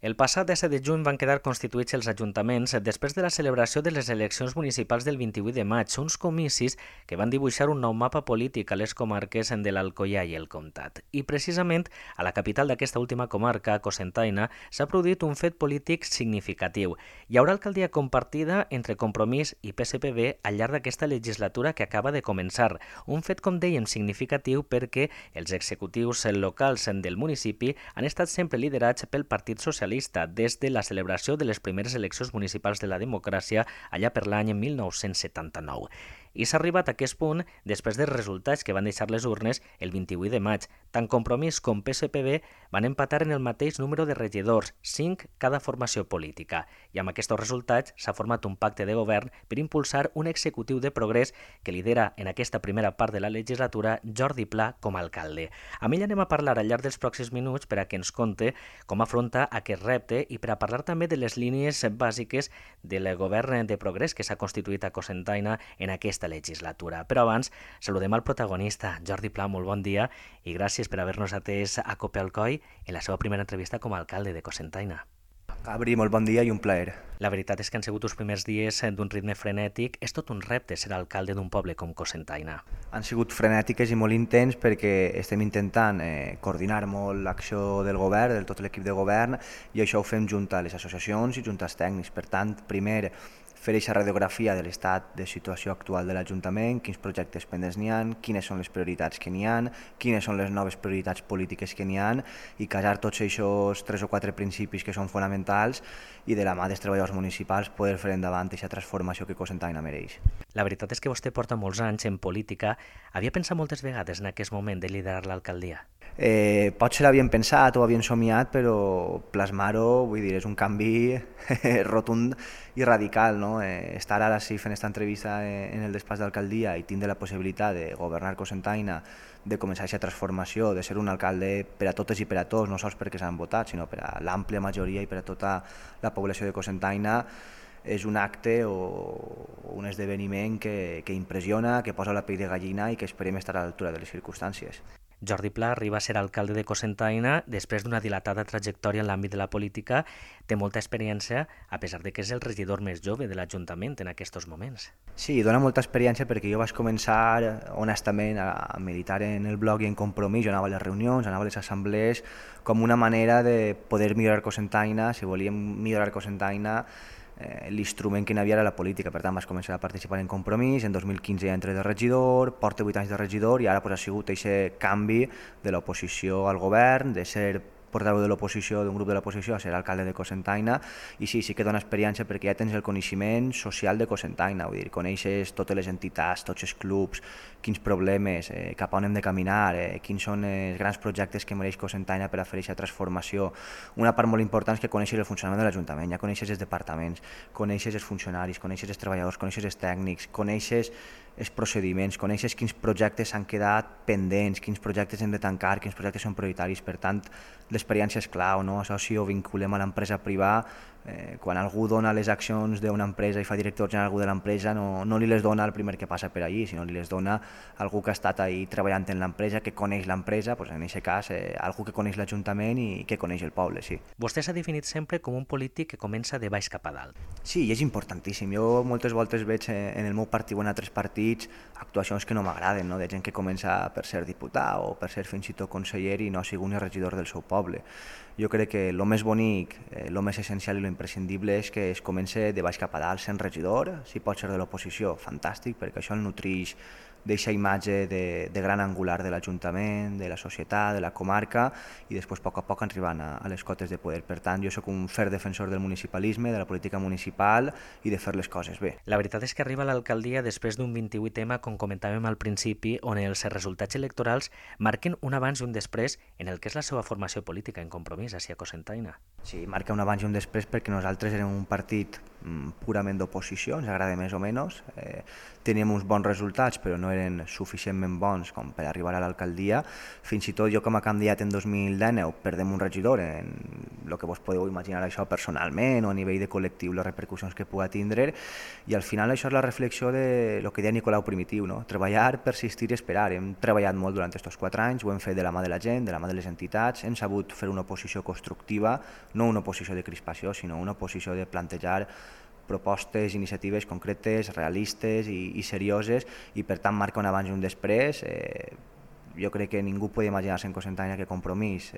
El passat 17 de juny van quedar constituïts els ajuntaments després de la celebració de les eleccions municipals del 28 de maig, uns comicis que van dibuixar un nou mapa polític a les comarques de l'Alcoià i el Comtat. I precisament a la capital d'aquesta última comarca, Cocentaina, s'ha produït un fet polític significatiu. Hi haurà alcaldia compartida entre Compromís i PSPB al llarg d'aquesta legislatura que acaba de començar. Un fet, com dèiem, significatiu perquè els executius locals del municipi han estat sempre liderats pel Partit Socialista des de la celebració de les primeres eleccions municipals de la democràcia allà per l'any 1979. I s'ha arribat a aquest punt després dels resultats que van deixar les urnes el 28 de maig. Tant Compromís com PSPB van empatar en el mateix número de regidors, 5 cada formació política. I amb aquests resultats s'ha format un pacte de govern per impulsar un executiu de progrés que lidera en aquesta primera part de la legislatura Jordi Pla com a alcalde. Amb ell anem a parlar al llarg dels pròxims minuts per a que ens conte com afronta aquest repte i per a parlar també de les línies bàsiques del govern de progrés que s'ha constituït a Cocentaina en aquesta legislatura. Però abans, saludem al protagonista, Jordi Pla, molt bon dia i gràcies per haver-nos atès a Cope al Coll en la seva primera entrevista com a alcalde de Cocentaina. Gabri, molt bon dia i un plaer. La veritat és que han sigut els primers dies d'un ritme frenètic. És tot un repte ser alcalde d'un poble com Cocentaina. Han sigut frenètiques i molt intens perquè estem intentant coordinar molt l'acció del govern, de tot l'equip de govern, i això ho fem junt a les associacions i junt als tècnics. Per tant, primer, fer aquesta radiografia de l'estat de situació actual de l'Ajuntament, quins projectes pendents n'hi ha, quines són les prioritats que n'hi ha, quines són les noves prioritats polítiques que n'hi ha, i casar tots aquests 3 o 4 principis que són fonamentals i de la mà dels treballadors municipals poder fer endavant aquesta transformació que Cocentaina mereix. La veritat és que vostè porta molts anys en política. Havia pensat moltes vegades en aquest moment de liderar l'alcaldia? Potser l'havien pensat o havien somiat, però plasmar-ho, vull dir, és un canvi rotund i radical, no? Estar ara sí fent aquesta entrevista en el despatx d'alcaldia i tindre la possibilitat de governar Cocentaina, de començar aquesta transformació, de ser un alcalde per a totes i per a tots, no sols perquè s'han votat, sinó per a l'àmplia majoria i per a tota la població de Cocentaina, és un acte o un esdeveniment que impressiona, que posa la pell de gallina i que esperem estar a l'altura de les circumstàncies. Jordi Pla arriba a ser alcalde de Cocentaina després d'una dilatada trajectòria en l'àmbit de la política. Té molta experiència, a pesar de que és el regidor més jove de l'Ajuntament en aquests moments. Sí, dona molta experiència perquè jo vaig començar honestament a militar en el blog i en Compromís. Jo anava a les reunions, anava a les assemblees com una manera de poder millorar Cocentaina. Si volíem millorar Cocentaina, l'instrument que hi havia era la política. Per tant, vaig començar a participar en Compromís, en 2015 ja entré de regidor, porto 8 anys de regidor i ara ha sigut aquest canvi de l'oposició al govern, de ser portaveu de l'oposició, d'un grup de l'oposició, a ser alcalde de Cocentaina, i sí que dona experiència perquè ja tens el coneixement social de Cocentaina, vull dir, coneixes totes les entitats, tots els clubs, quins problemes, cap a on hem de caminar, quins són els grans projectes que mereix Cocentaina per a fer aquesta transformació. Una part molt important és que coneixes el funcionament de l'Ajuntament, ja coneixes els departaments, coneixes els funcionaris, coneixes els treballadors, coneixes els tècnics, coneixes els procediments, coneixes quins projectes s'han quedat pendents, quins projectes hem de tancar, quins projectes són prioritaris. Per tant, l'experiència és clau, no? Això si ho vinculem a l'empresa privada, quan algú dona les accions d'una empresa i fa director general algú de l'empresa, no li les dona el primer que passa per allí, sinó li les dona algú que ha estat ahí treballant en l'empresa, que coneix l'empresa, doncs en aquest cas algú que coneix l'Ajuntament i que coneix el poble, sí. Vostè s'ha definit sempre com un polític que comença de baix cap a dalt. Sí, i és importantíssim. Jo moltes voltes veig en el meu partit o en altres partits actuacions que no m'agraden, no? De gent que comença per ser diputat o per ser fins i tot conseller i no ha sigut ni regidor del seu poble. Jo crec que el més bonic, el més essencial i el imprescindible és que es comença de baix cap a dalt sent regidor, si pot ser de l'oposició, fantàstic, perquè això el nutreix d'aquesta imatge de gran angular de l'Ajuntament, de la societat, de la comarca, i després a poc arribant a les cotes de poder. Per tant, jo sóc un ferm defensor del municipalisme, de la política municipal i de fer les coses bé. La veritat és que arriba a l'alcaldia després d'un 28M, com comentàvem al principi, on els resultats electorals marquen un abans i un després en el que és la seva formació política en Compromís, a Cocentaina. Sí, marca un abans i un després perquè nosaltres érem un partit purament d'oposició, ens agrada més o menys. Teníem uns bons resultats, però no eren suficientment bons com per arribar a l'alcaldia. Fins i tot jo com a candidat en 2019 perdem un regidor en el que vos podeu imaginar això personalment o a nivell de col·lectiu, les repercussions que pugui tindre, i al final això és la reflexió de lo que deia Nicolau Primitiu, no? Treballar, persistir i esperar. Hem treballat molt durant aquests 4 anys, ho hem fet de la mà de la gent, de la mà de les entitats, hem sabut fer una oposició constructiva, no una oposició de crispació, sinó una oposició de plantejar propostes, iniciatives concretes, realistes i serioses, i per tant marca un abans i un després. Jo crec que ningú pot imaginar-se en Cocentaina que Compromís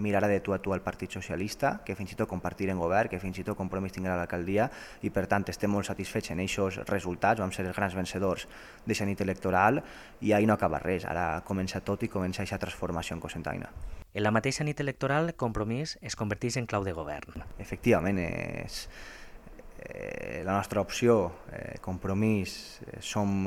mirarà de tu a tu al Partit Socialista, que fins i tot compartir en govern, que fins i tot Compromís tinguerà l'alcaldia, i per tant estem molt satisfets en aquests resultats, vam ser els grans vencedors d'aquesta nit electoral, i ahir no acaba res, ara comença tot i comença aquesta transformació en Cocentaina. En la mateixa nit electoral, Compromís es converteix en clau de govern. Efectivament, és la nostra opció, Compromís, som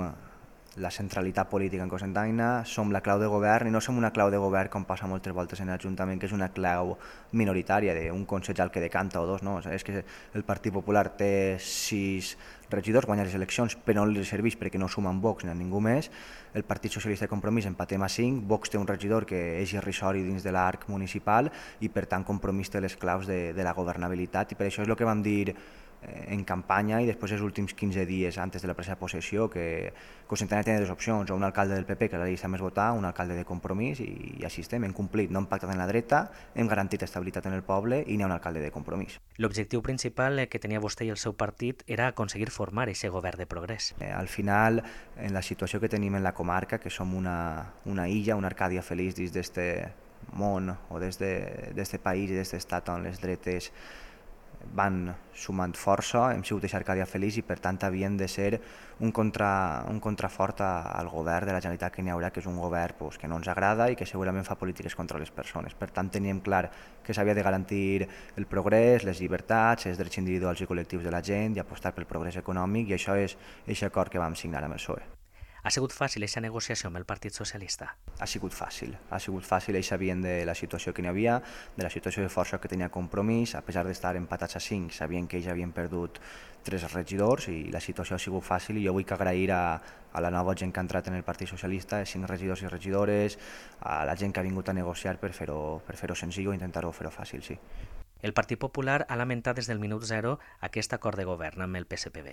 la centralitat política en Cocentaina, som la clau de govern, i no som una clau de govern com passa moltes voltes en l'Ajuntament, que és una clau minoritària d'un consellal que decanta o dos, no? És que el Partit Popular té 6 regidors, guanya les eleccions, però no li serveix perquè no sumen Vox ni a ningú més. El Partit Socialista de Compromís empatem a 5, Vox té un regidor que és irrisori dins de l'arc municipal, i per tant Compromís té les claus de la governabilitat, i per això és el que vam dir en campanya i després els últims 15 dies antes de la presa de possessió, que Cocentaina tenia 2 opcions, o un alcalde del PP, que és la llista més votada, un alcalde de Compromís, i així estem, hem complit, no hem pactat en la dreta, hem garantit estabilitat en el poble i n'hi ha un alcalde de Compromís. L'objectiu principal que tenia vostè i el seu partit era aconseguir formar aquest govern de progrés. Al final, en la situació que tenim en la comarca, que som una illa, una Arcàdia feliç dins d'este món o d'este país i d'este estat on les dretes van sumant força, hem sigut aquesta Arcàdia feliç, i per tant havien de ser un contrafort al govern de la Generalitat que n'hi haurà, que és un govern que no ens agrada i que segurament fa polítiques contra les persones. Per tant teníem clar que s'havia de garantir el progrés, les llibertats, els drets individuals i col·lectius de la gent, i apostar pel progrés econòmic, i això és aquest acord que vam signar amb el PSOE. Ha sigut fàcil aquesta negociació amb el Partit Socialista? Ha sigut fàcil, ells sabien de la situació que n'hi havia, de la situació de força que tenia Compromís, a pesar d'estar empatats a 5, sabien que ells havien perdut 3 regidors i la situació ha sigut fàcil, i jo vull agrair a la nova gent que ha entrat en el Partit Socialista, 5 regidors i regidores, a la gent que ha vingut a negociar per fer-ho senzill o intentar-ho fer-ho fàcil, sí. El Partit Popular ha lamentat des del minut 0 aquest acord de govern amb el PSPB.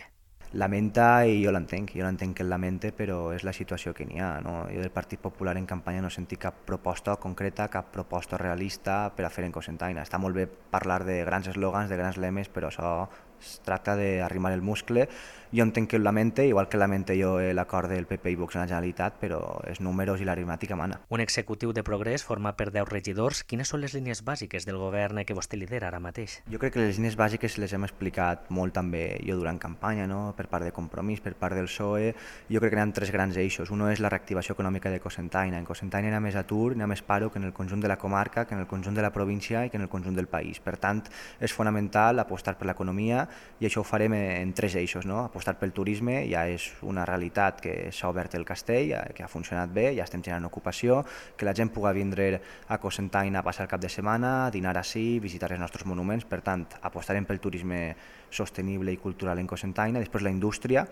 Lamenta, i jo l'entenc que el lamente, però és la situació que n'hi ha, no? Jo del Partit Popular en campanya no he sentit cap proposta concreta, cap proposta realista per a fer en Cocentaina. Està molt bé parlar de grans eslògans, de grans lemes, però això es tracta d'arrimar el muscle. Jo entenc que el lamente, igual que lamente jo l'acord del PP i Vox en la Generalitat, però els números i l'aritmàtica mana. Un executiu de progrés format per 10 regidors. Quines són les línies bàsiques del govern que vostè lidera ara mateix? Jo crec que les línies bàsiques les hem explicat molt també jo durant campanya, no? Per part de Compromís, per part del PSOE. Jo crec que hi ha 3 grans eixos. Un és la reactivació econòmica de Cocentaina. En Cocentaina hi ha més atur, hi ha més paro que en el conjunt de la comarca, que en el conjunt de la província i que en el conjunt del país. Per tant, és fonamental apostar per l'economia, i això ho farem en 3 eixos, no? Apostar pel turisme, ja és una realitat que s'ha obert el castell, que ha funcionat bé, ja estem generant ocupació, que la gent pugui vindre a Cocentaina a passar el cap de setmana, dinar ací, visitar els nostres monuments. Per tant, apostarem pel turisme sostenible i cultural en Cocentaina. Després la indústria,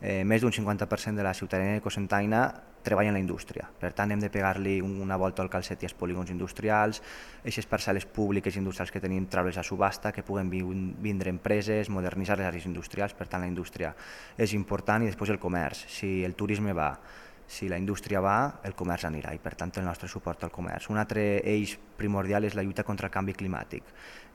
més d'un 50% de la ciutadania de Cocentaina treballa en la indústria, per tant hem de pegar-li una volta al calcet i als polígons industrials, aquestes parcel·les públiques industrials que tenim, treure's a subhasta, que puguen vindre empreses, modernitzar les àrees industrials. Per tant la indústria és important, i després el comerç. Si el turisme va, si la indústria va, el comerç anirà, i per tant el nostre suport al comerç. Un altre eix primordial és la lluita contra el canvi climàtic.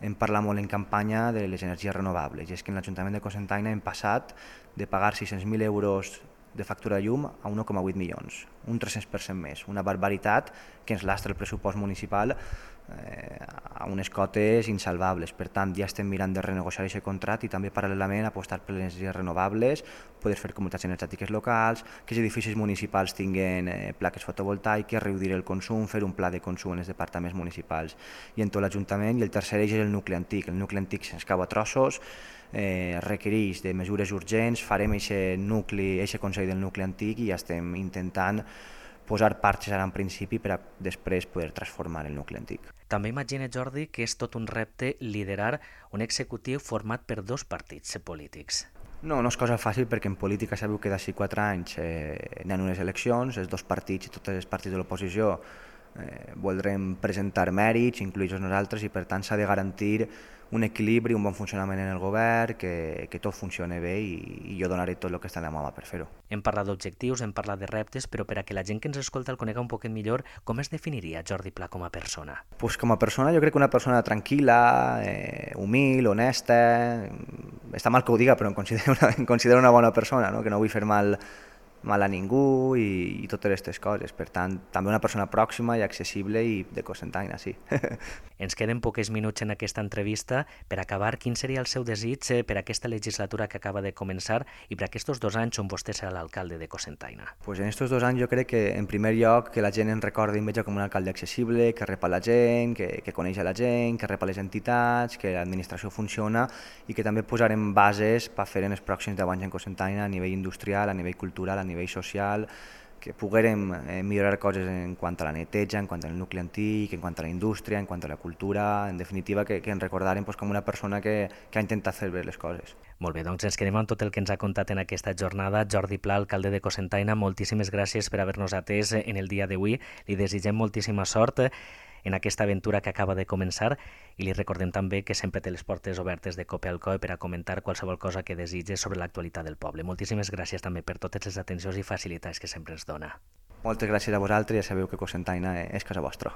Hem parlat molt en campanya de les energies renovables, i és que en l'Ajuntament de Cocentaina hem passat de pagar 600.000 euros de factura de llum a 1,8 milions, un 300% més, una barbaritat que ens lastra el pressupost municipal a unes cotes insalvables. Per tant, ja estem mirant de renegociar aquest contracte i també paral·lelament apostar per les energies renovables, poder fer comunitats energètiques locals, que els edificis municipals tinguin plaques fotovoltaiques, reduir el consum, fer un pla de consum en els departaments municipals i en tot l'Ajuntament. I el tercer eix és el nucli antic. El nucli antic se'ns cau a trossos, requereix de mesures urgents, farem aquest Consell del Nucli Antic i ja estem intentant posar parxes ara en principi per a després poder transformar el nucli antic. També imagina, Jordi, que és tot un repte liderar un executiu format per 2 partits polítics. No és cosa fàcil perquè en política sabeu que d'ací 4 anys n'hi ha unes eleccions, els 2 partits i tots els partits de l'oposició voldrem presentar mèrits, incloïts nosaltres, i per tant s'ha de garantir un equilibri, un bon funcionament en el govern, que tot funcioni bé i jo donaré tot el que està en la meva per fer-ho. Hem parlat d'objectius, hem parlat de reptes, però per a que la gent que ens escolta el conega un poquet millor, com es definiria Jordi Pla com a persona? Pues com a persona jo crec que una persona tranquil·la, humil, honesta, està mal que ho diga però em considero una bona persona, no? Que no vull fer mal a ningú i totes aquestes coses. Per tant, també una persona pròxima i accessible i de Cocentaina, sí. Ens queden pocs minuts en aquesta entrevista. Per acabar, quin seria el seu desig per aquesta legislatura que acaba de començar i per aquests 2 anys on vostè serà l'alcalde de Cocentaina? Pues en aquests 2 anys jo crec que, en primer lloc, que la gent ens recordi i em veja com un alcalde accessible, que rep a la gent, que coneix a la gent, que rep a les entitats, que l'administració funciona i que també posarem bases per fer en els pròxims 10 anys en Cocentaina a nivell industrial, a nivell cultural, a nivell social, que poguérem millorar coses en quant a la neteja, en quant al nucli antic, en quant a la indústria, en quant a la cultura, en definitiva que ens recordarem com una persona que ha intentat fer bé les coses. Molt bé, doncs ens quedem amb tot el que ens ha contat en aquesta jornada. Jordi Pla, alcalde de Cocentaina, moltíssimes gràcies per haver-nos atès en el dia d'avui. Li desitgem moltíssima sort en aquesta aventura que acaba de començar i li recordem també que sempre té les portes obertes de Cope al Coe per a comentar qualsevol cosa que desitge sobre l'actualitat del poble. Moltíssimes gràcies també per totes les atencions i facilitats que sempre ens dona. Moltes gràcies a vosaltres i ja sabeu que Cocentaina és casa vostra.